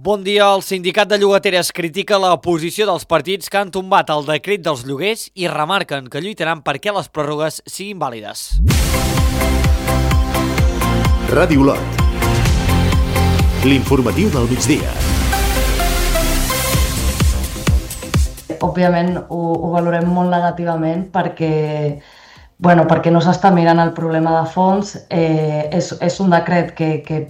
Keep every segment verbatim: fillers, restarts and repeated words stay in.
Bon dia. El sindicat de llogateres critica la posició dels partits que han tombat el decret dels lloguers i remarquen que lluitaran perquè les pròrrogues siguin vàlides. Ràdio Olot. L'informatiu del migdia. Òbviament ho, ho valorem molt negativament perquè, bueno, perquè no s'està mirant el problema de fons. Eh, és, és un decret que, que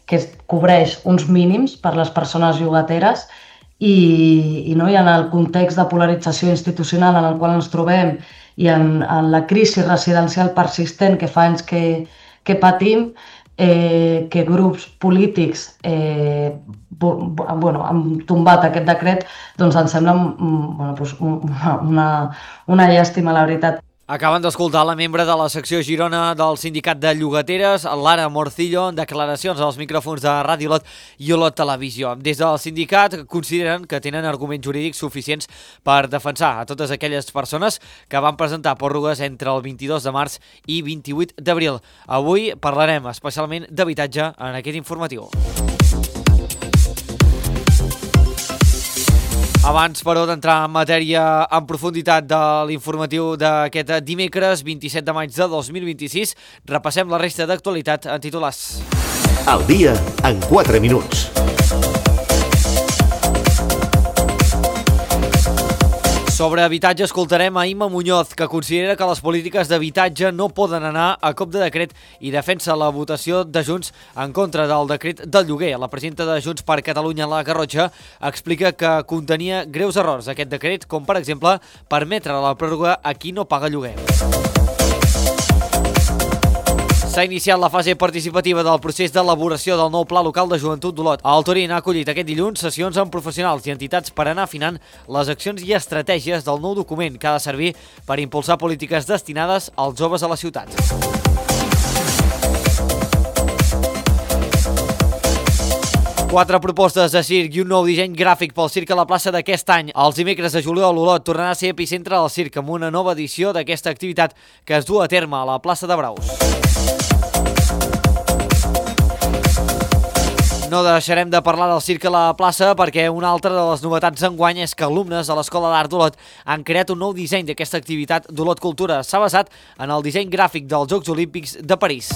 que cobreix uns mínims per les persones llogateres i, i, no, i en el context de polarització institucional en el qual ens trobem i en, en la crisi residencial persistent que fa anys que, que patim, eh, que grups polítics eh, bueno, han tombat aquest decret, doncs ens sembla bueno, doncs una, una, una llàstima, la veritat. Acaben d'escoltar la membre de la secció Girona del sindicat de llogateres, Lara Morcillo, en declaracions als micròfons de Ràdio Olot i Olot Televisió. Des del sindicat consideren que tenen arguments jurídics suficients per defensar a totes aquelles persones que van presentar pròrrogues entre el vint-i-dos de març i vint-i-vuit d'abril. Avui parlarem especialment d'habitatge en aquest informatiu. Abans, però, d'entrar en matèria en profunditat de l'informatiu d'aquest dimecres vint-i-set de maig de dos mil vint-i-sis, repassem la resta d'actualitat en titulars. Al dia en quatre minuts. Sobre habitatge escoltarem a Imma Muñoz, que considera que les polítiques d'habitatge no poden anar a cop de decret i defensa la votació de Junts en contra del decret del lloguer. La presidenta de Junts per Catalunya, la Garrotxa, explica que contenia greus errors aquest decret, com per exemple permetre la pròrroga a qui no paga lloguer. S'ha iniciat la fase participativa del procés d'elaboració del nou Pla Local de Joventut d'Olot. El Torín ha acollit aquest dilluns sessions amb professionals i entitats per anar afinant les accions i estratègies del nou document que ha de servir per impulsar polítiques destinades als joves a la ciutat. Quatre propostes de circ i un nou disseny gràfic pel circ a la plaça d'aquest any. Els dimecres de juliol, Olot tornarà a ser epicentre del circ amb una nova edició d'aquesta activitat que es du a terme a la plaça de Braus. No deixarem de parlar del circ a la plaça perquè una altra de les novetats d'enguany és que alumnes de l'Escola d'Art d'Olot han creat un nou disseny d'aquesta activitat d'Olot Cultura. S'ha basat en el disseny gràfic dels Jocs Olímpics de París.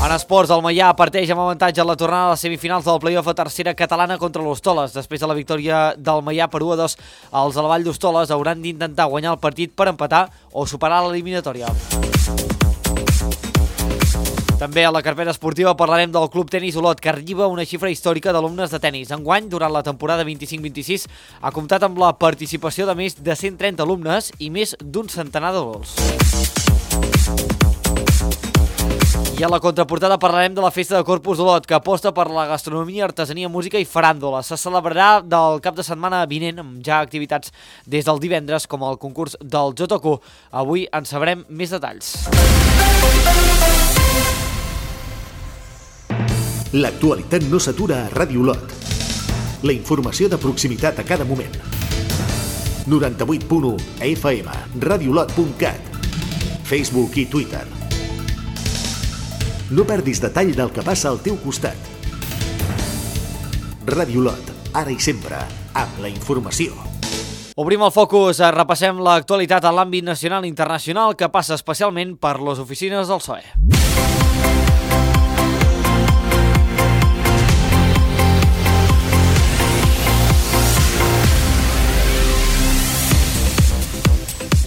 En esports, el Maià parteix amb avantatge a la tornada a les semifinals del play-off a tercera catalana contra l'Hostoles. Després de la victòria del Maià per u a dos, els de la Vall d'Hostoles hauran d'intentar guanyar el partit per empatar o superar l'eliminatòria. També a la carpeta esportiva parlarem del Club Tenis Olot, que arriba una xifra històrica d'alumnes de tenis. Enguany, durant la temporada vint-i-cinc vint-i-sis, ha comptat amb la participació de més de cent trenta alumnes i més d'un centenar de gols. I a la contraportada parlarem de la Festa de Corpus d'Olot, que aposta per la gastronomia, artesania, música i faràndula. Se celebrarà del cap de setmana vinent, amb ja activitats des del divendres, com el concurs del Jotoku. Avui en sabrem més detalls. L'actualitat no s'atura a Ràdio Olot. La informació de proximitat a cada moment. noranta-vuit punt u F M, radiolot punt cat, Facebook i Twitter. No perdis detall del que passa al teu costat. Ràdio Olot, ara i sempre, amb la informació. Obrim el focus, repassem l'actualitat a l'àmbit nacional i internacional que passa especialment per les oficines del P S O E.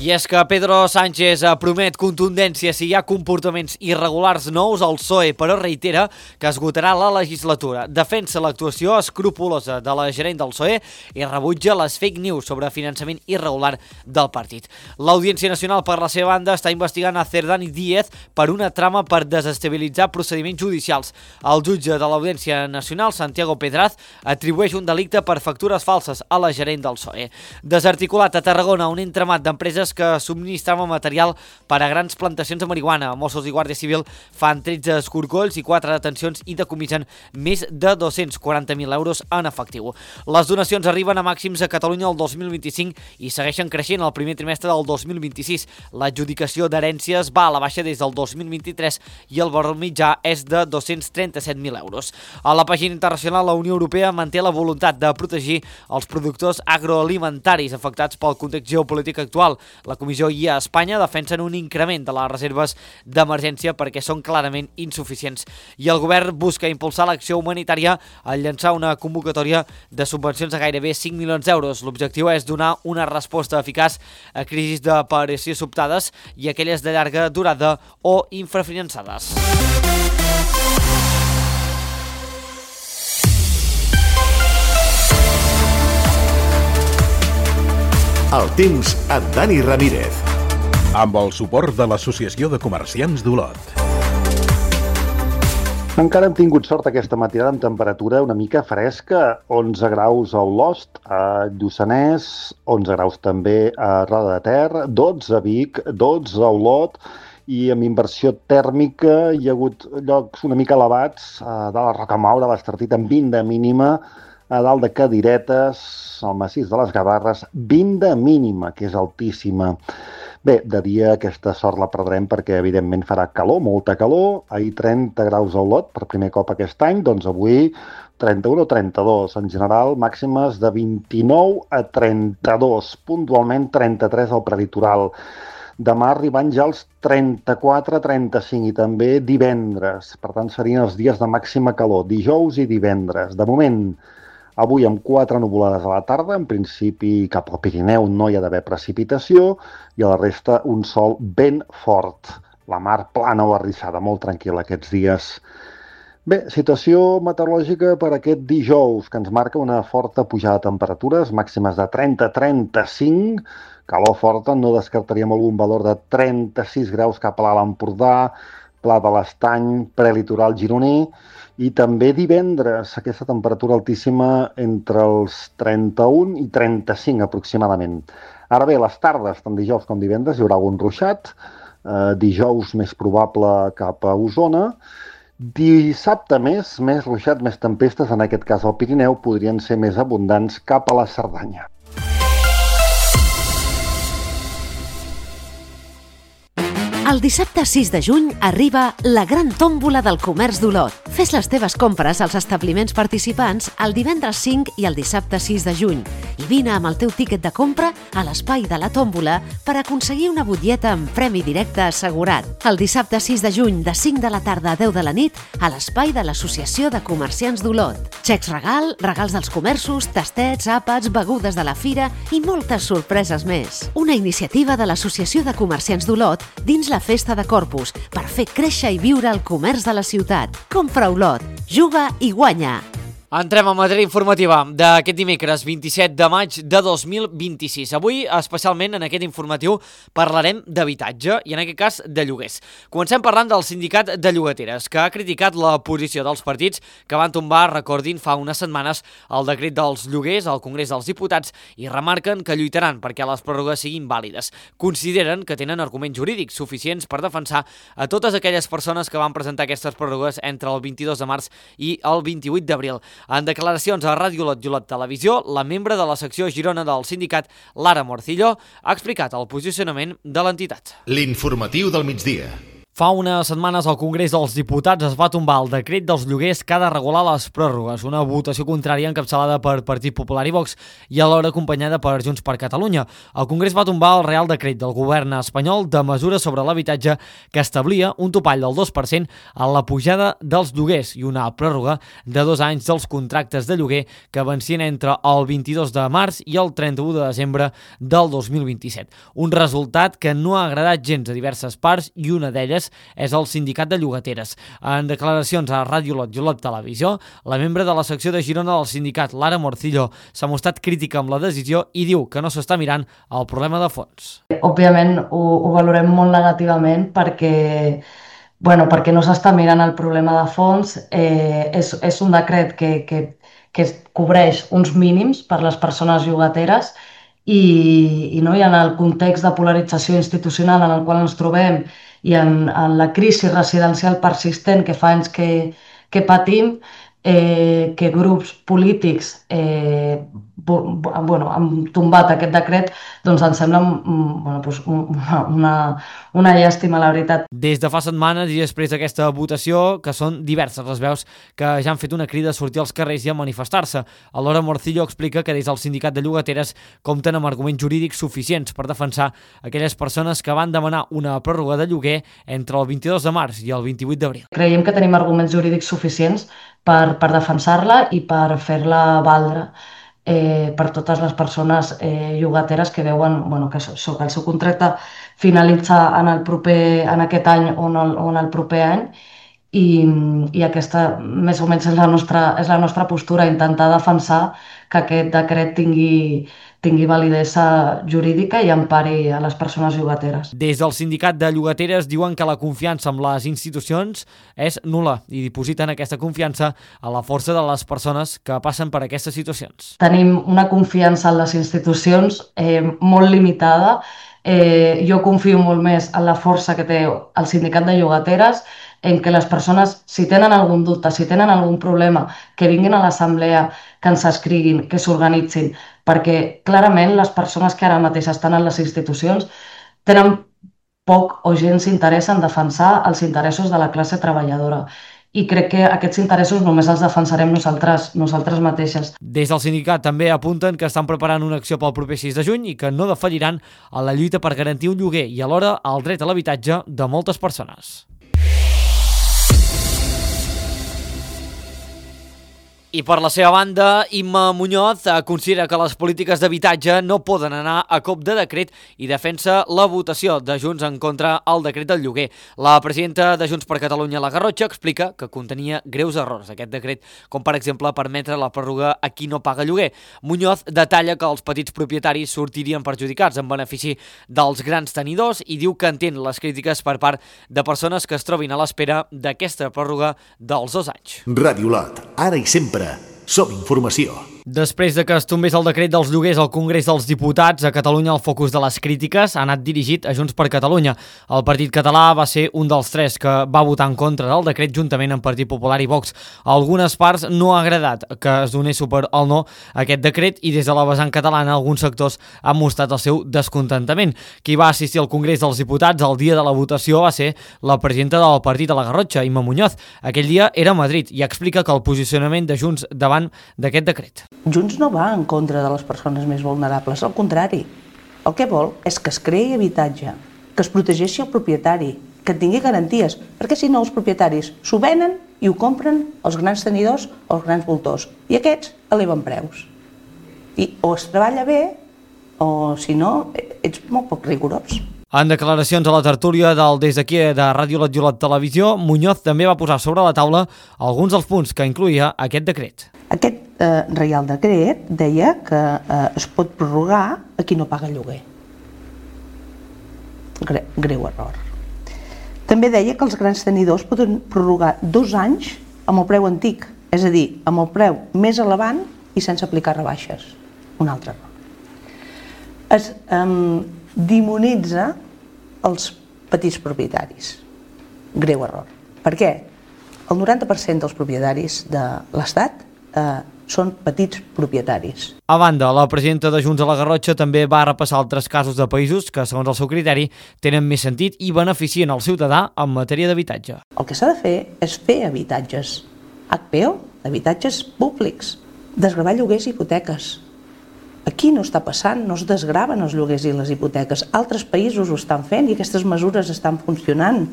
I és que Pedro Sánchez promet contundència si hi ha comportaments irregulars nous al P S O E, però reitera que esgotarà la legislatura. Defensa l'actuació escrupulosa de la gerent del P S O E i rebutja les fake news sobre finançament irregular del partit. L'Audiència Nacional, per la seva banda, està investigant a Cerdán i Díez per una trama per desestabilitzar procediments judicials. El jutge de l'Audiència Nacional, Santiago Pedraz, atribueix un delicte per factures falses a la gerent del P S O E. Desarticulat a Tarragona un entramat d'empreses que subministraven material per a grans plantacions de marihuana. Mossos i Guàrdia Civil fan tretze escorcolls i quatre detencions i decomisen més de dos-cents quaranta mil euros en efectiu. Les donacions arriben a màxims a Catalunya el dos mil vint-i-cinc i segueixen creixent el primer trimestre del dos mil vint-i-sis. L'adjudicació d'herències va a la baixa des del dos mil vint-i-tres i el valor mitjà és de dos-cents trenta-set mil euros. A la pàgina internacional, la Unió Europea manté la voluntat de protegir els productors agroalimentaris afectats pel context geopolític actual. La Comissió i a Espanya defensen un increment de les reserves d'emergència perquè són clarament insuficients. I el govern busca impulsar l'acció humanitària al llançar una convocatòria de subvencions de gairebé cinc milions d'euros. L'objectiu és donar una resposta eficaç a crisis d'aparició sobtades i aquelles de llarga durada o infrafinançades. El temps amb Dani Ramírez. Amb el suport de l'Associació de Comerciants d'Olot. Encara hem tingut sort aquesta matinada amb temperatura una mica fresca, onze graus a Olost, a Lluçanès, onze graus també a Roda de Ter, dotze a Vic, dotze a Olot, i amb inversió tèrmica hi ha hagut llocs una mica elevats, a dalt a Rocamaura, a l'Estartit, amb vint de mínima, a dalt de Cadiretes, al massís de les Gavarres, vint de mínima, que és altíssima. Bé, de dia aquesta sort la perdrem perquè evidentment farà calor, molta calor. Ahir trenta graus a Olot, per primer cop aquest any, doncs avui trenta-un o trenta-dos. En general, màximes de vint-i-nou a trenta-dos, puntualment trenta-tres al prelitoral. Demà arribant ja als trenta-quatre a trenta-cinc i també divendres. Per tant, serien els dies de màxima calor, dijous i divendres. De moment, avui amb quatre nuvolades a la tarda, en principi cap al Pirineu no hi ha d'haver precipitació i a la resta un sol ben fort. La mar plana o arrissada, molt tranquil·la aquests dies. Bé, situació meteorològica per aquest dijous, que ens marca una forta pujada de temperatures, màximes de trenta a trenta-cinc, calor forta, no descartaríem algun valor de trenta-sis graus cap a l'Alt Empordà, Pla de l'Estany, prelitoral gironí, i també divendres, aquesta temperatura altíssima entre els trenta-un i trenta-cinc aproximadament. Ara bé, les tardes, tant dijous com divendres, hi haurà algun ruixat, eh, dijous més probable cap a Osona, dissabte més, més ruixat, més tempestes, en aquest cas al Pirineu, podrien ser més abundants cap a la Cerdanya. El dissabte sis de juny arriba la gran tòmbola del comerç d'Olot. Fes les teves compres als establiments participants el divendres cinc i el dissabte sis de juny i vine amb el teu tíquet de compra a l'espai de la tòmbola per aconseguir una butlleta amb premi directe assegurat. El dissabte sis de juny de cinc de la tarda a deu de la nit a l'espai de l'Associació de Comerciants d'Olot. Xecs regal, regals dels comerços, tastets, àpats, begudes de la fira i moltes sorpreses més. Una iniciativa de l'Associació de Comerciants d'Olot dins la Festa de Corpus per fer créixer i viure el comerç de la ciutat. Compra Olot, juga i guanya. Entrem a matèria informativa d'aquest dimecres vint-i-set de maig de dos mil vint-i-sis. Avui, especialment en aquest informatiu, parlarem d'habitatge i en aquest cas de lloguers. Comencem parlant del sindicat de llogateres, que ha criticat la posició dels partits que van tombar, recordin, fa unes setmanes el decret dels lloguers al Congrés dels Diputats i remarquen que lluitaran perquè les pròrrogues siguin vàlides. Consideren que tenen arguments jurídics suficients per defensar a totes aquelles persones que van presentar aquestes pròrrogues entre el vint-i-dos de març i el vint-i-vuit d'abril. En declaracions a Ràdio Olot i Olot Televisió, la membre de la secció Girona del sindicat, Lara Morcillo, ha explicat el posicionament de l'entitat. L'informatiu del migdia. Fa unes setmanes al Congrés dels Diputats es va tombar el decret dels lloguers que ha de regular les pròrrogues, una votació contrària encapçalada per Partit Popular i Vox i alhora acompanyada per Junts per Catalunya. El Congrés va tombar el Real Decret del govern espanyol de mesures sobre l'habitatge que establia un topall del dos per cent a la pujada dels lloguers i una pròrroga de dos anys dels contractes de lloguer que vencien entre el vint-i-dos de març i el trenta-u de desembre del dos mil vint-i-set. Un resultat que no ha agradat gens a diverses parts i una d'elles és el sindicat de llogateres. En declaracions a Ràdio Olot i Olot Televisió, la membre de la secció de Girona del sindicat, Lara Morcillo, s'ha mostrat crítica amb la decisió i diu que no s'està mirant el problema de fons. Òbviament ho, ho valorem molt negativament perquè, bueno, perquè no s'està mirant el problema de fons. Eh, és, és un decret que, que, que cobreix uns mínims per les persones llogateres i, i, no? I en el context de polarització institucional en el qual ens trobem i en, en la crisi residencial persistent que fa anys que, que patim, eh, que grups polítics eh, bueno, han tombat aquest decret, doncs ens sembla bueno, doncs una, una, una llàstima, la veritat. Des de fa setmanes i després d'aquesta votació, que són diverses les veus que ja han fet una crida a sortir als carrers i a manifestar-se. Alhora, Morcillo explica que des del sindicat de llogateres compten amb arguments jurídics suficients per defensar aquelles persones que van demanar una pròrroga de lloguer entre el vint-i-dos de març i el vint-i-vuit d'abril. Creiem que tenim arguments jurídics suficients per, per defensar-la i per fer-la valdre eh, per totes les persones eh, llogateres que veuen bueno, que, so, que el seu contracte finalitza en, el proper, en aquest any o en el, o en el proper any i, i aquesta més o menys és la nostra, és la nostra postura, intentar defensar que aquest decret tingui, tingui validesa jurídica i empari a les persones llogateres. Des del sindicat de llogateres diuen que la confiança en les institucions és nul·la i dipositen aquesta confiança a la força de les persones que passen per aquestes situacions. Tenim una confiança en les institucions eh, molt limitada. Eh, jo confio molt més en la força que té el sindicat de llogateres, en què les persones, si tenen algun dubte, si tenen algun problema, que vinguin a l'assemblea, que ens escriguin, que s'organitzin, perquè clarament les persones que ara mateix estan en les institucions tenen poc o gens interès en defensar els interessos de la classe treballadora. I crec que aquests interessos només els defensarem nosaltres, nosaltres mateixes. Des del sindicat també apunten que estan preparant una acció pel proper sis de juny i que no defalliran a la lluita per garantir un lloguer i alhora el dret a l'habitatge de moltes persones. I per la seva banda, Imma Muñoz considera que les polítiques d'habitatge no poden anar a cop de decret i defensa la votació de Junts en contra al decret del lloguer. La presidenta de Junts per Catalunya, la Garrotxa, explica que contenia greus errors aquest decret, com per exemple permetre la pròrroga a qui no paga lloguer. Muñoz detalla que els petits propietaris sortirien perjudicats en benefici dels grans tenidors i diu que entén les crítiques per part de persones que es trobin a l'espera d'aquesta pròrroga dels dos anys. Ràdio Lot, ara i sempre. Som informació. Després de que es tombés el decret dels lloguers al Congrés dels Diputats, a Catalunya el focus de les crítiques ha anat dirigit a Junts per Catalunya. El Partit Català va ser un dels tres que va votar en contra del decret juntament amb Partit Popular i Vox. A algunes parts no ha agradat que es donés suport al no a aquest decret i des de la vessant catalana alguns sectors han mostrat el seu descontentament. Qui va assistir al Congrés dels Diputats el dia de la votació va ser la presidenta del partit a la Garrotxa, Imma Muñoz. Aquell dia era a Madrid i explica que el posicionament de Junts davant d'aquest decret. Junts no va en contra de les persones més vulnerables, al contrari. El que vol és que es creï habitatge, que es protegeixi el propietari, que tingui garanties, perquè si no els propietaris s'ho venen i ho compren els grans tenidors o els grans voltors. I aquests eleven preus. I o es treballa bé o si no ets molt poc rigorós. En declaracions a la tertúlia del Des d'aquí de Ràdio Lot i Lot Televisió, Muñoz també va posar sobre la taula alguns dels punts que incloïa aquest decret. Aquest eh, Reial Decret deia que eh, es pot prorrogar a qui no paga lloguer. Gre greu error. També deia que els grans tenidors poden prorrogar dos anys amb el preu antic, és a dir, amb el preu més elevant i sense aplicar rebaixes. Un altre error. Es eh, demonitza els petits propietaris. Greu error. Per què? El noranta per cent dels propietaris de l'Estat eh, són petits propietaris. A banda, la presidenta de Junts a la Garrotxa també va repassar altres casos de països que, segons el seu criteri, tenen més sentit i beneficien el ciutadà en matèria d'habitatge. El que s'ha de fer és fer habitatges H P O, habitatges públics, desgravar lloguers i hipoteques. Aquí no està passant, no es desgraven els lloguers i les hipoteques. Altres països ho estan fent i aquestes mesures estan funcionant.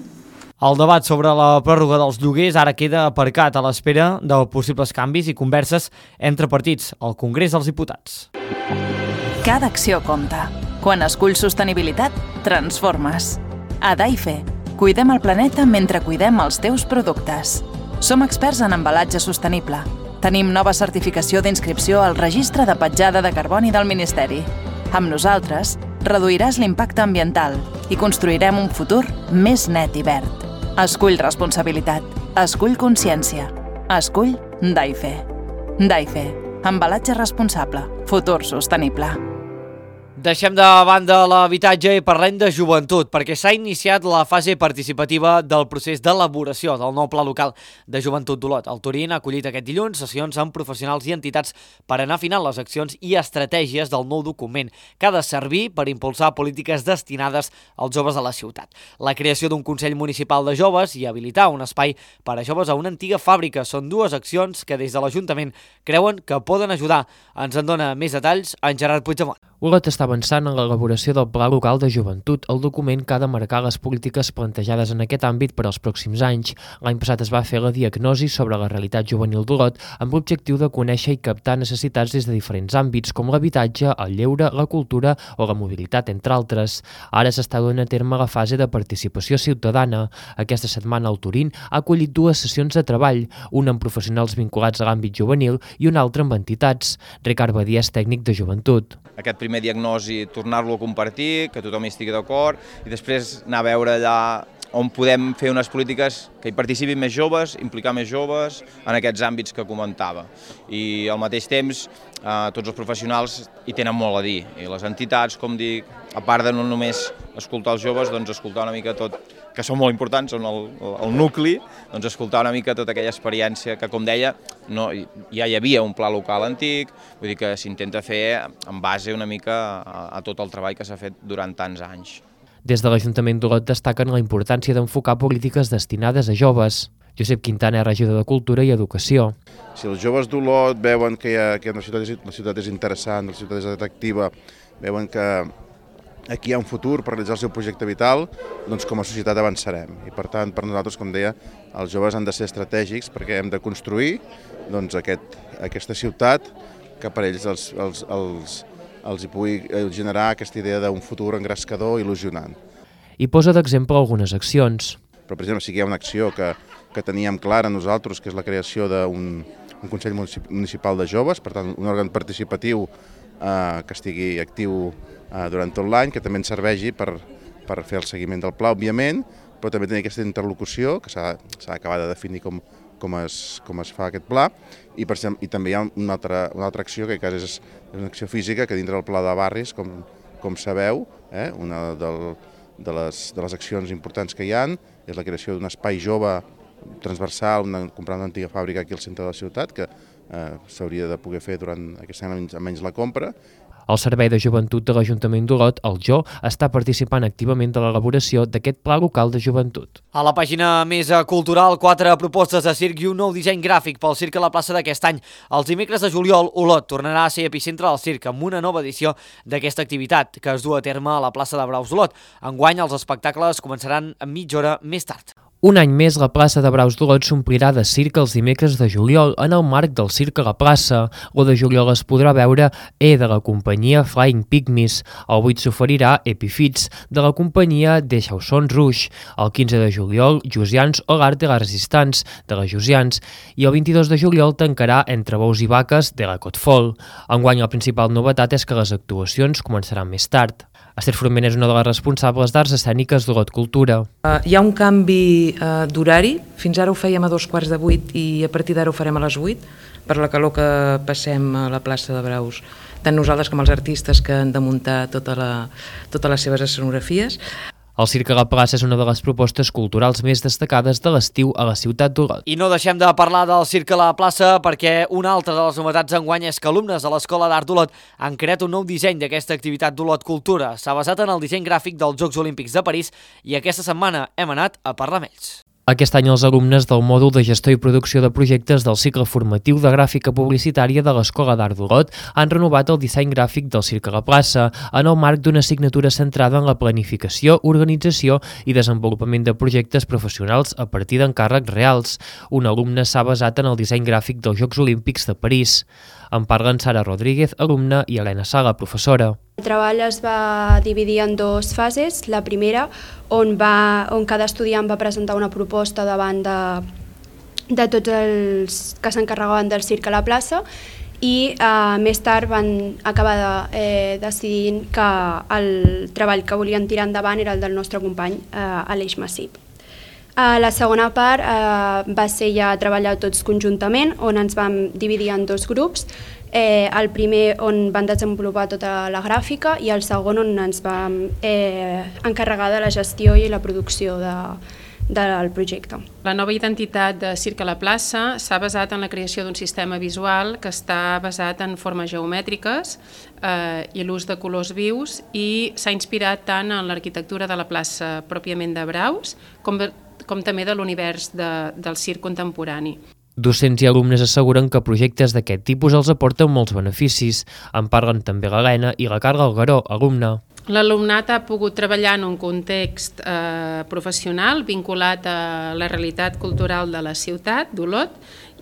El debat sobre la pròrroga dels lloguers ara queda aparcat a l'espera de possibles canvis i converses entre partits al Congrés dels Diputats. Cada acció compta. Quan esculls sostenibilitat, transformes. A Daife, cuidem el planeta mentre cuidem els teus productes. Som experts en embalatge sostenible. Tenim nova certificació d'inscripció al Registre de Petjada de Carboni del Ministeri. Amb nosaltres, reduiràs l'impacte ambiental i construirem un futur més net i verd. Escull responsabilitat. Escull consciència. Escull Daife. Daife. Embalatge responsable. Futur sostenible. Deixem de banda l'habitatge i parlem de joventut, perquè s'ha iniciat la fase participativa del procés d'elaboració del nou pla local de joventut d'Olot. El Turín ha acollit aquest dilluns sessions amb professionals i entitats per anar afinant les accions i estratègies del nou document, que ha de servir per impulsar polítiques destinades als joves de la ciutat. La creació d'un Consell Municipal de Joves i habilitar un espai per a joves a una antiga fàbrica són dues accions que des de l'Ajuntament creuen que poden ajudar. Ens en dona més detalls en Gerard Puigdemont. Olot està avançant en l'elaboració del Pla Local de Joventut, el document que ha de marcar les polítiques plantejades en aquest àmbit per als pròxims anys. L'any passat es va fer la diagnosi sobre la realitat juvenil d'Olot amb l'objectiu de conèixer i captar necessitats des de diferents àmbits, com l'habitatge, el lleure, la cultura o la mobilitat, entre altres. Ara s'està duent a terme la fase de participació ciutadana. Aquesta setmana el Turín ha acollit dues sessions de treball, una amb professionals vinculats a l'àmbit juvenil i una altra amb entitats. Ricard Badia és tècnic de joventut. Aquest primer diagnosi, tornar-lo a compartir, que tothom hi estigui d'acord, i després anar a veure allà on podem fer unes polítiques que hi participin més joves, implicar més joves en aquests àmbits que comentava. I al mateix temps, eh, tots els professionals hi tenen molt a dir, i les entitats, com dic, a part de no només escoltar els joves, doncs escoltar una mica tot, que són molt importants, són el, el nucli, doncs escoltar una mica tota aquella experiència que, com deia, no, ja hi havia un pla local antic, vull dir que s'intenta fer en base una mica a, a tot el treball que s'ha fet durant tants anys. Des de l'Ajuntament d'Olot destaquen la importància d'enfocar polítiques destinades a joves. Josep Quintana és regidor de Cultura i Educació. Si els joves d'Olot veuen que, hi ha, que la, ciutat és, la ciutat és interessant, la ciutat és atractiva, veuen que aquí hi ha un futur per realitzar el seu projecte vital, doncs com a societat avançarem. I per tant, per nosaltres, com deia, els joves han de ser estratègics perquè hem de construir doncs, aquest, aquesta ciutat que per ells els, els, els, els hi pugui generar aquesta idea d'un futur engrescador i il·lusionant. I posa d'exemple algunes accions. Però, per exemple, sí que hi ha una acció que, que teníem clara nosaltres, que és la creació d'un un Consell Municipal de Joves, per tant, un òrgan participatiu eh, que estigui actiu eh, durant tot l'any, que també ens serveixi per, per fer el seguiment del pla, òbviament, però també tenir aquesta interlocució, que s'ha d'acabar de definir com, com, es, com es fa aquest pla, i, per exemple, i també hi ha una altra, una altra acció, que és, és una acció física, que dintre del pla de barris, com, com sabeu, eh, una del, de, les, de les accions importants que hi ha és la creació d'un espai jove transversal, una, comprar una antiga fàbrica aquí al centre de la ciutat, que eh, s'hauria de poder fer durant aquest any almenys la compra. El Servei de Joventut de l'Ajuntament d'Olot, el J O, està participant activament de l'elaboració d'aquest Pla Local de Joventut. A la pàgina més cultural, quatre propostes de circ i un nou disseny gràfic pel circ a la plaça d'aquest any. Els dimecres de juliol, Olot tornarà a ser epicentre del circ amb una nova edició d'aquesta activitat que es du a terme a la plaça de Braus d'Olot. Enguany, els espectacles començaran a mitja hora més tard. Un any més, la plaça de Braus d'Olot s'omplirà de circ els dimecres de juliol en el marc del Circ a la plaça. L'u de juliol es podrà veure E de la companyia Flying Pygmies. El vuit s'oferirà Epifits de la companyia Des Chaussons Rouge. El quinze de juliol, Josians o l'Art de la Resistance de la Josians. I el vint-i-dos de juliol tancarà Entre bous i vaques de la Cotfol. Enguany, la principal novetat és que les actuacions començaran més tard. Esther Forment és una de les responsables d'Arts Escèniques d'Olot Cultura. Uh, hi ha un canvi uh, d'horari, fins ara ho fèiem a dos quarts de vuit i a partir d'ara ho farem a les vuit, per la calor que passem a la plaça de Braus, tant nosaltres com els artistes que han de muntar tota la, totes les seves escenografies. El Circ a la plaça és una de les propostes culturals més destacades de l'estiu a la ciutat d'Olot. I no deixem de parlar del Circ a la plaça perquè una altra de les novetats d'enguany és que alumnes de l'Escola d'Art d'Olot han creat un nou disseny d'aquesta activitat d'Olot Cultura. S'ha basat en el disseny gràfic dels Jocs Olímpics de París i aquesta setmana hem anat a parlar amb ells. Aquest any els alumnes del mòdul de gestió i producció de projectes del cicle formatiu de gràfica publicitària de l'Escola d'Art d'Olot han renovat el disseny gràfic del Circ a la plaça en el marc d'una assignatura centrada en la planificació, organització i desenvolupament de projectes professionals a partir d'encàrrecs reals. Un alumne s'ha basat en el disseny gràfic dels Jocs Olímpics de París. En parlen Sara Rodríguez, alumna, i Helena Sala, professora. El treball es va dividir en dues fases. La primera, on, va, on cada estudiant va presentar una proposta davant de, de tots els que s'encarregaven del circ a la plaça i eh, més tard van acabar de, eh, decidint que el treball que volien tirar endavant era el del nostre company, eh, Aleix Massip. Uh, la segona part uh, va ser ja treballar tots conjuntament, on ens vam dividir en dos grups. Eh, el primer on van desenvolupar tota la gràfica i el segon on ens vam eh, encarregar de la gestió i la producció de, del projecte. La nova identitat de Circ a la plaça s'ha basat en la creació d'un sistema visual que està basat en formes geomètriques eh, i l'ús de colors vius, i s'ha inspirat tant en l'arquitectura de la plaça pròpiament de Braus com, com també de l'univers de, del circ contemporani. Docents i alumnes asseguren que projectes d'aquest tipus els aporten molts beneficis. En parlen també l'Helena i la Carla Algaró, alumna. L'alumnat ha pogut treballar en un context eh, professional vinculat a la realitat cultural de la ciutat d'Olot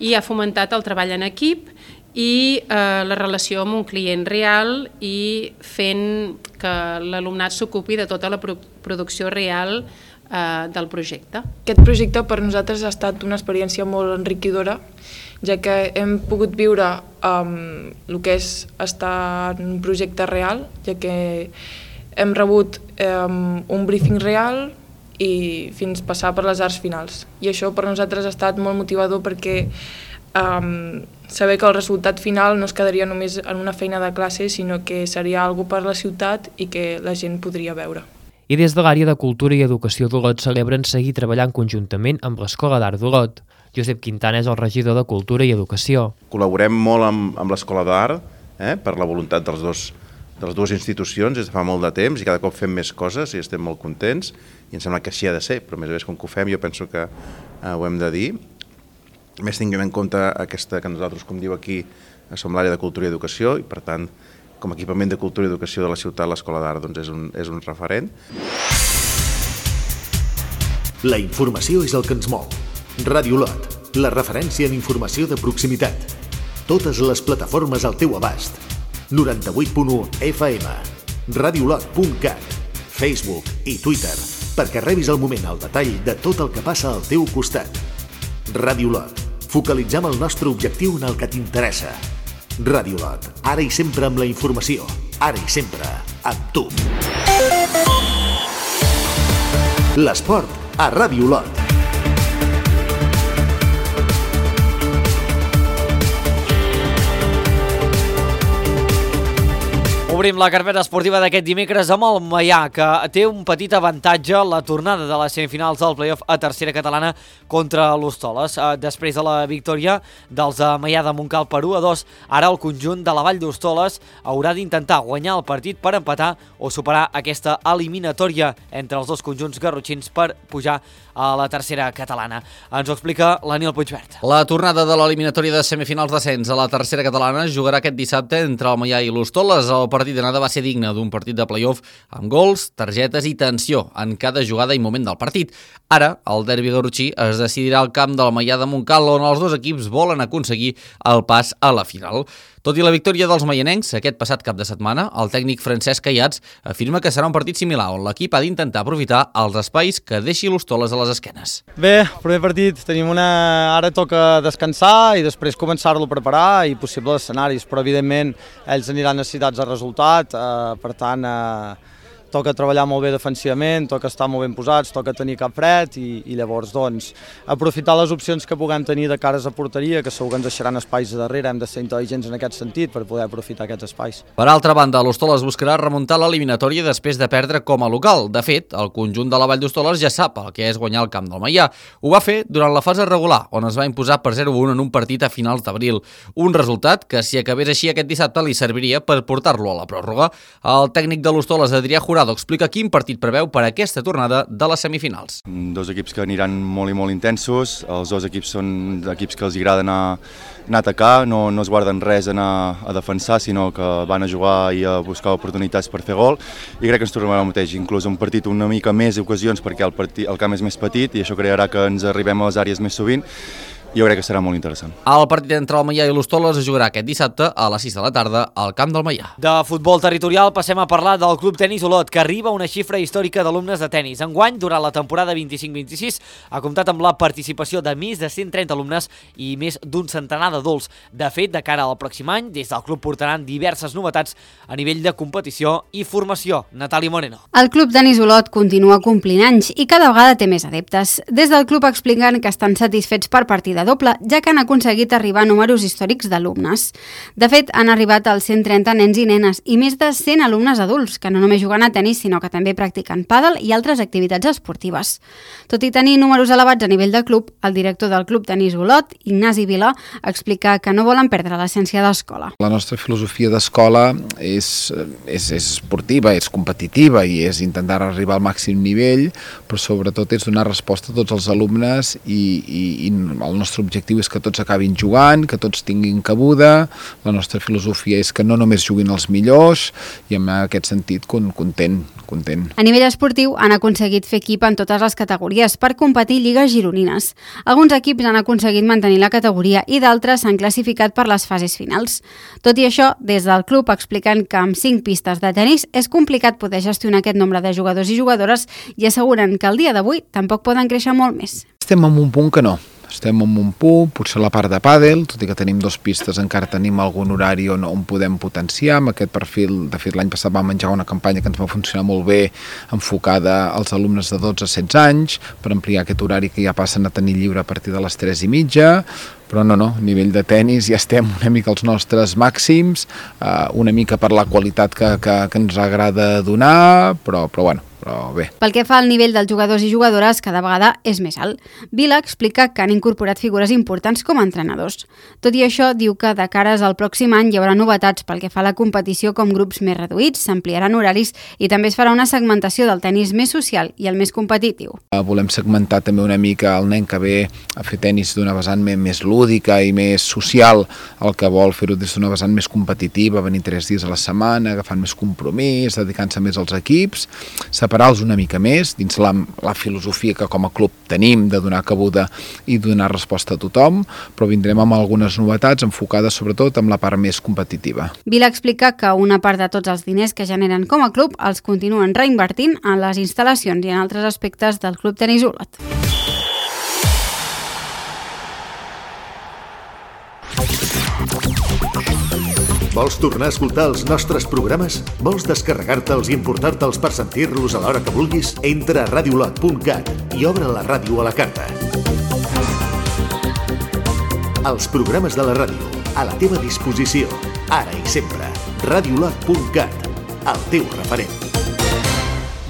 i ha fomentat el treball en equip i eh, la relació amb un client real i fent que l'alumnat s'ocupi de tota la pro producció real del projecte. Aquest projecte per nosaltres ha estat una experiència molt enriquidora, ja que hem pogut viure um, el que és estar en un projecte real, ja que hem rebut um, un briefing real i fins passar per les arts finals. I això per nosaltres ha estat molt motivador perquè um, saber que el resultat final no es quedaria només en una feina de classe, sinó que seria alguna cosa per la ciutat i que la gent podria veure. I des de l'àrea de Cultura i Educació d'Olot celebren seguir treballant conjuntament amb l'Escola d'Art d'Olot. Josep Quintana és el regidor de Cultura i Educació. Col·laborem molt amb, amb l'Escola d'Art eh, per la voluntat dels dos, de les dues institucions des de fa molt de temps i cada cop fem més coses i estem molt contents i em sembla que així ha de ser, però a més a més com que ho fem jo penso que eh, ho hem de dir. A més tinguem en compte aquesta que nosaltres, com diu aquí, som l'àrea de Cultura i Educació i per tant com a equipament de cultura i educació de la ciutat, l'Escola d'Art doncs és, un, és un referent. La informació és el que ens mou. Ràdio Olot, la referència en informació de proximitat. Totes les plataformes al teu abast. noranta-vuit punt u F M, radiolot punt cat, Facebook i Twitter, perquè rebis al moment el detall de tot el que passa al teu costat. Ràdio Olot, focalitzem el nostre objectiu en el que t'interessa. Ràdio Olot, ara i sempre amb la informació, ara i sempre amb tu. L'esport a Ràdio Olot. Obrim la carpeta esportiva d'aquest dimecres amb el Maià, que té un petit avantatge la tornada de les semifinals del play-off a tercera catalana contra l'Hostoles. Després de la victòria dels Maià de Montcal per u a dos, ara el conjunt de la Vall d'Hostoles haurà d'intentar guanyar el partit per empatar o superar aquesta eliminatòria entre els dos conjunts garrotxins per pujar a la tercera catalana. Ens ho explica l'Aniel Puigverd. La tornada de l'eliminatòria de semifinals d'ascens a la tercera catalana jugarà aquest dissabte entre el Maià i l'Hostoles. El partit d'anada va ser digne d'un partit de play-off amb gols, targetes i tensió en cada jugada i moment del partit. Ara, el derbi garrotxí es decidirà al camp del Maià de Montcal, on els dos equips volen aconseguir el pas a la final. Tot i la victòria dels maianencs aquest passat cap de setmana, el tècnic Francesc Caiats afirma que serà un partit similar, on l'equip ha d'intentar aprofitar els espais que deixi l'Hostoles a les esquenes. Bé, primer partit, tenim una... ara toca descansar i després començar-lo a preparar i possibles escenaris, però evidentment ells aniran necessitats de resultat, eh, per tant eh, toca treballar molt bé defensivament, toca estar molt ben posats, toca tenir cap fred i, i llavors doncs, aprofitar les opcions que puguem tenir de cares a porteria, que segur que ens deixaran espais a darrere, hem de ser intel·ligents en aquest sentit per poder aprofitar aquests espais. Per altra banda, l'Hostoles buscarà remuntar l'eliminatòria després de perdre com a local. De fet, el conjunt de la Vall d'Hostoles ja sap el que és guanyar el camp del Maià. Ho va fer durant la fase regular, on es va imposar per zero a un en un partit a finals d'abril. Un resultat que, si acabés així aquest dissabte, li serviria per portar-lo a la pròrroga. El tècnic de l'Hostoles, Adrià Jurado, explica quin partit preveu per a aquesta tornada de les semifinals. Dos equips que aniran molt i molt intensos, els dos equips són equips que els agrada anar, anar a atacar, no, no es guarden res a anar a defensar, sinó que van a jugar i a buscar oportunitats per fer gol, i crec que ens tornarà el mateix, inclús un partit una mica més d'ocasions perquè el, partit, el camp és més petit i això crearà que ens arribem a les àrees més sovint, jo crec que serà molt interessant. El partit entre el Maià i l'Hostoles es jugarà aquest dissabte a les sis de la tarda al camp del Maià. De futbol territorial passem a parlar del Club Tenis Olot, que arriba a una xifra històrica d'alumnes de tenis. Enguany, durant la temporada vint-i-cinc vint-i-sis, ha comptat amb la participació de més de cent trenta alumnes i més d'un centenar d'adults. De fet, de cara al pròxim any, des del club portaran diverses novetats a nivell de competició i formació. Natàlia Moreno. El Club Tenis Olot continua complint anys i cada vegada té més adeptes. Des del club expliquen que estan satisfets per partida doble, ja que han aconseguit arribar a números històrics d'alumnes. De fet, han arribat als cent trenta nens i nenes i més de cent alumnes adults, que no només juguen a tenis, sinó que també practiquen pàdel i altres activitats esportives. Tot i tenir números elevats a nivell de club, el director del Club Tenis Olot, Ignasi Vila, explica que no volen perdre l'essència d'escola. La nostra filosofia d'escola és, és, és esportiva, és competitiva i és intentar arribar al màxim nivell, però sobretot és donar resposta a tots els alumnes i, i, i el nostre El nostre objectiu és que tots acabin jugant, que tots tinguin cabuda. La nostra filosofia és que no només juguin els millors i en aquest sentit content, content. A nivell esportiu han aconseguit fer equip en totes les categories per competir lligues gironines. Alguns equips han aconseguit mantenir la categoria i d'altres s'han classificat per les fases finals. Tot i això, des del club expliquen que amb cinc pistes de tenis és complicat poder gestionar aquest nombre de jugadors i jugadores i asseguren que el dia d'avui tampoc poden créixer molt més. Estem en un punt que no. Estem en un punt, potser la part de pàdel, tot i que tenim dos pistes, encara tenim algun horari on, on podem potenciar. Amb aquest perfil, de fet, l'any passat vam menjar una campanya que ens va funcionar molt bé, enfocada als alumnes de dotze a setze anys, per ampliar aquest horari que ja passen a tenir lliure a partir de les tres i mitja. Però no, no, a nivell de tenis ja estem una mica als nostres màxims, eh, una mica per la qualitat que, que, que ens agrada donar, però, però bueno, però bé. Pel que fa al nivell dels jugadors i jugadores, cada vegada és més alt. Vila explica que han incorporat figures importants com a entrenadors. Tot i això, diu que de cares al pròxim any hi haurà novetats pel que fa a la competició com grups més reduïts, s'ampliaran horaris i també es farà una segmentació del tenis més social i el més competitiu. Volem segmentar també una mica el nen que ve a fer tenis d'una vessant més lúdica i més social, el que vol fer-ho des d'una vessant més competitiva, venir tres dies a la setmana, agafant més compromís, dedicant-se més als equips, separar-los una mica més dins la, la filosofia que com a club tenim de donar cabuda i donar resposta a tothom, però vindrem amb algunes novetats enfocades sobretot amb la part més competitiva. Vila explica que una part de tots els diners que generen com a club els continuen reinvertint en les instal·lacions i en altres aspectes del Club Tenis Olot. Vols tornar a escoltar els nostres programes? Vols descarregar-te'ls i importar-te'ls per sentir-los a l'hora que vulguis? Entra a radiolot punt cat i obre la ràdio a la carta. Els programes de la ràdio, a la teva disposició, ara i sempre. radiolot punt cat, el teu referent.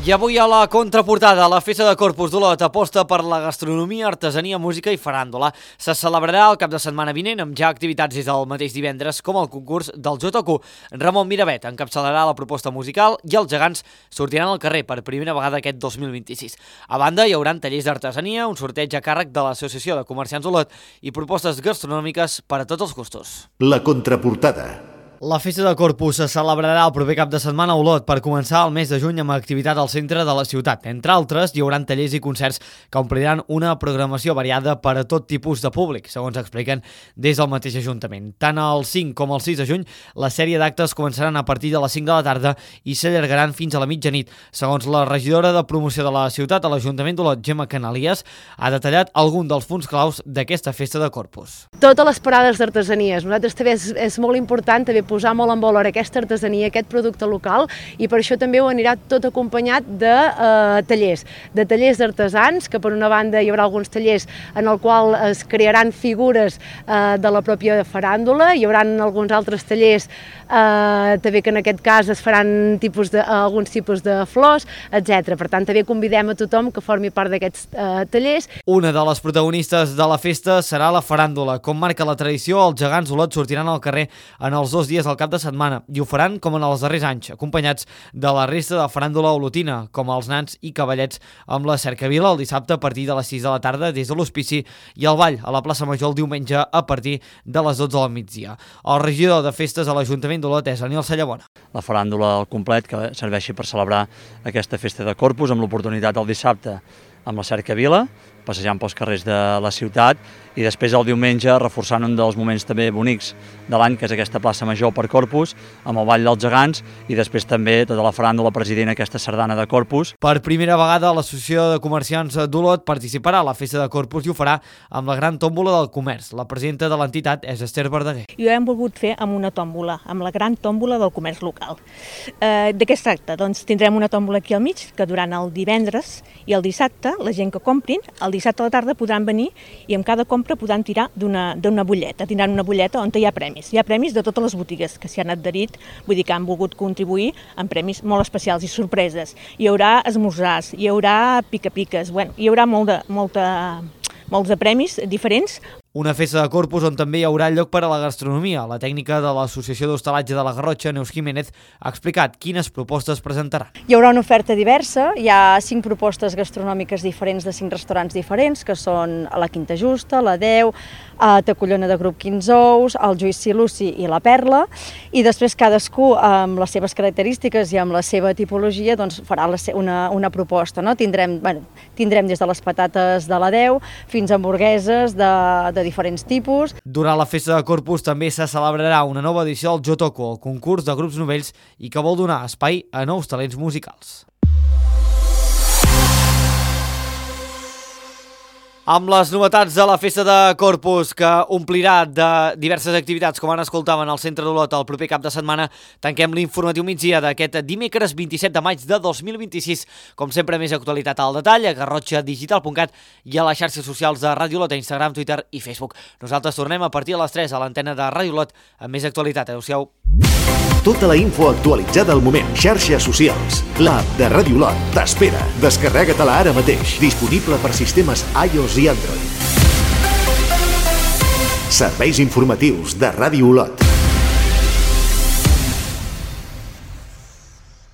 I avui a la contraportada, la Festa de Corpus d'Olot aposta per la gastronomia, artesania, música i faràndula. Se celebrarà el cap de setmana vinent amb ja activitats des del mateix divendres com el concurs del J Q. Ramon Miravet encapçalarà la proposta musical i els gegants sortiran al carrer per primera vegada aquest dos mil vint-i-sis. A banda, hi haurà tallers d'artesania, un sorteig a càrrec de l'Associació de Comerciants d'Olot i propostes gastronòmiques per a tots els gustos. La contraportada. La Festa de Corpus se celebrarà el proper cap de setmana a Olot per començar el mes de juny amb activitat al centre de la ciutat. Entre altres, hi haurà tallers i concerts que ompliran una programació variada per a tot tipus de públic, segons expliquen des del mateix Ajuntament. Tant el cinc com el sis de juny, la sèrie d'actes començaran a partir de les cinc de la tarda i s'allargaran fins a la mitjanit. Segons la regidora de promoció de la ciutat a l'Ajuntament d'Olot, Gemma Canalies, ha detallat algun dels punts claus d'aquesta Festa de Corpus. Totes les parades d'artesanies. Nosaltres també és, és molt important també posar molt en valor aquesta artesania, aquest producte local, i per això també ho anirà tot acompanyat de eh, tallers, de tallers d'artesans, que per una banda hi haurà alguns tallers en el qual es crearan figures eh, de la pròpia faràndula, hi haurà alguns altres tallers eh, també que en aquest cas es faran tipus de, alguns tipus de flors, etcètera. Per tant, també convidem a tothom que formi part d'aquests eh, tallers. Una de les protagonistes de la festa serà la faràndula. Com marca la tradició, els gegants Olot sortiran al carrer en els dos dies al cap de setmana i ho faran com en els darrers anys, acompanyats de la resta de faràndula olotina, com els nans i cavallets amb la cercavila el dissabte a partir de les sis de la tarda des de l'Hospici i el ball a la plaça Major el diumenge a partir de les dotze del migdia. El regidor de festes a l'Ajuntament d'Olot és Aniol Sallabona. La faràndula al complet que serveixi per celebrar aquesta Festa de Corpus amb l'oportunitat del dissabte amb la cercavila, passejant pels carrers de la ciutat, i després el diumenge reforçant un dels moments també bonics de l'any, que és aquesta plaça Major per Corpus, amb el Ball dels Gegants, i després també tota la faràndula president, aquesta sardana de Corpus. Per primera vegada l'Associació de Comerciants d'Olot participarà a la Festa de Corpus i ho farà amb la Gran Tòmbola del Comerç. La presidenta de l'entitat és Esther Verdaguer. I ho hem volgut fer amb una tòmbola, amb la Gran Tòmbola del Comerç local. Eh, de què es tracta? Doncs tindrem una tòmbola aquí al mig, que durant el divendres i el dissabte, la gent que comprin, el dissabte a la tarda podran venir i amb cada compra podran tirar d'una d'una butlleta. Tindran una butlleta on hi ha premis. Hi ha premis de totes les botigues que s'hi han adherit, vull dir que han volgut contribuir amb premis molt especials i sorpreses. Hi haurà esmorzars, hi haurà pica-piques, bueno, hi haurà molt de, molta, molts de premis diferents. Una festa de Corpus on també hi haurà lloc per a la gastronomia. La tècnica de l'Associació d'Hostalatge de la Garrotxa, Neus Jiménez, ha explicat quines propostes presentarà. Hi haurà una oferta diversa, hi ha cinc propostes gastronòmiques diferents de cinc restaurants diferents, que són la Quinta Justa, la Deu, a Tacollona de Grup quinze ous, el Juici Luci i la Perla, i després cadascú amb les seves característiques i amb la seva tipologia doncs, farà una, una proposta. No? Tindrem, bueno, tindrem des de les patates de la Deu fins a hamburgueses de, de de diferents tipus. Durant la Festa de Corpus també se celebrarà una nova edició del Jotoco, el concurs de grups novells i que vol donar espai a nous talents musicals. Amb les novetats de la Festa de Corpus, que omplirà de diverses activitats, com ara escoltaven al Centre d'Olot el proper cap de setmana, tanquem l'informatiu migdia d'aquest dimecres vint-i-set de maig de dos mil vint-i-sis. Com sempre, més actualitat al detall a garrotxa digital punt cat i a les xarxes socials de Ràdio Olot, a Instagram, Twitter i Facebook. Nosaltres tornem a partir de les tres a l'antena de Ràdio Olot amb més actualitat. Adéu-siau. Tota la info actualitzada al moment. Xarxes socials. L'app de Ràdio Olot t'espera. Descarrega-te-la ara mateix. Disponible per sistemes iOS i Android. Serveis informatius de Ràdio Olot.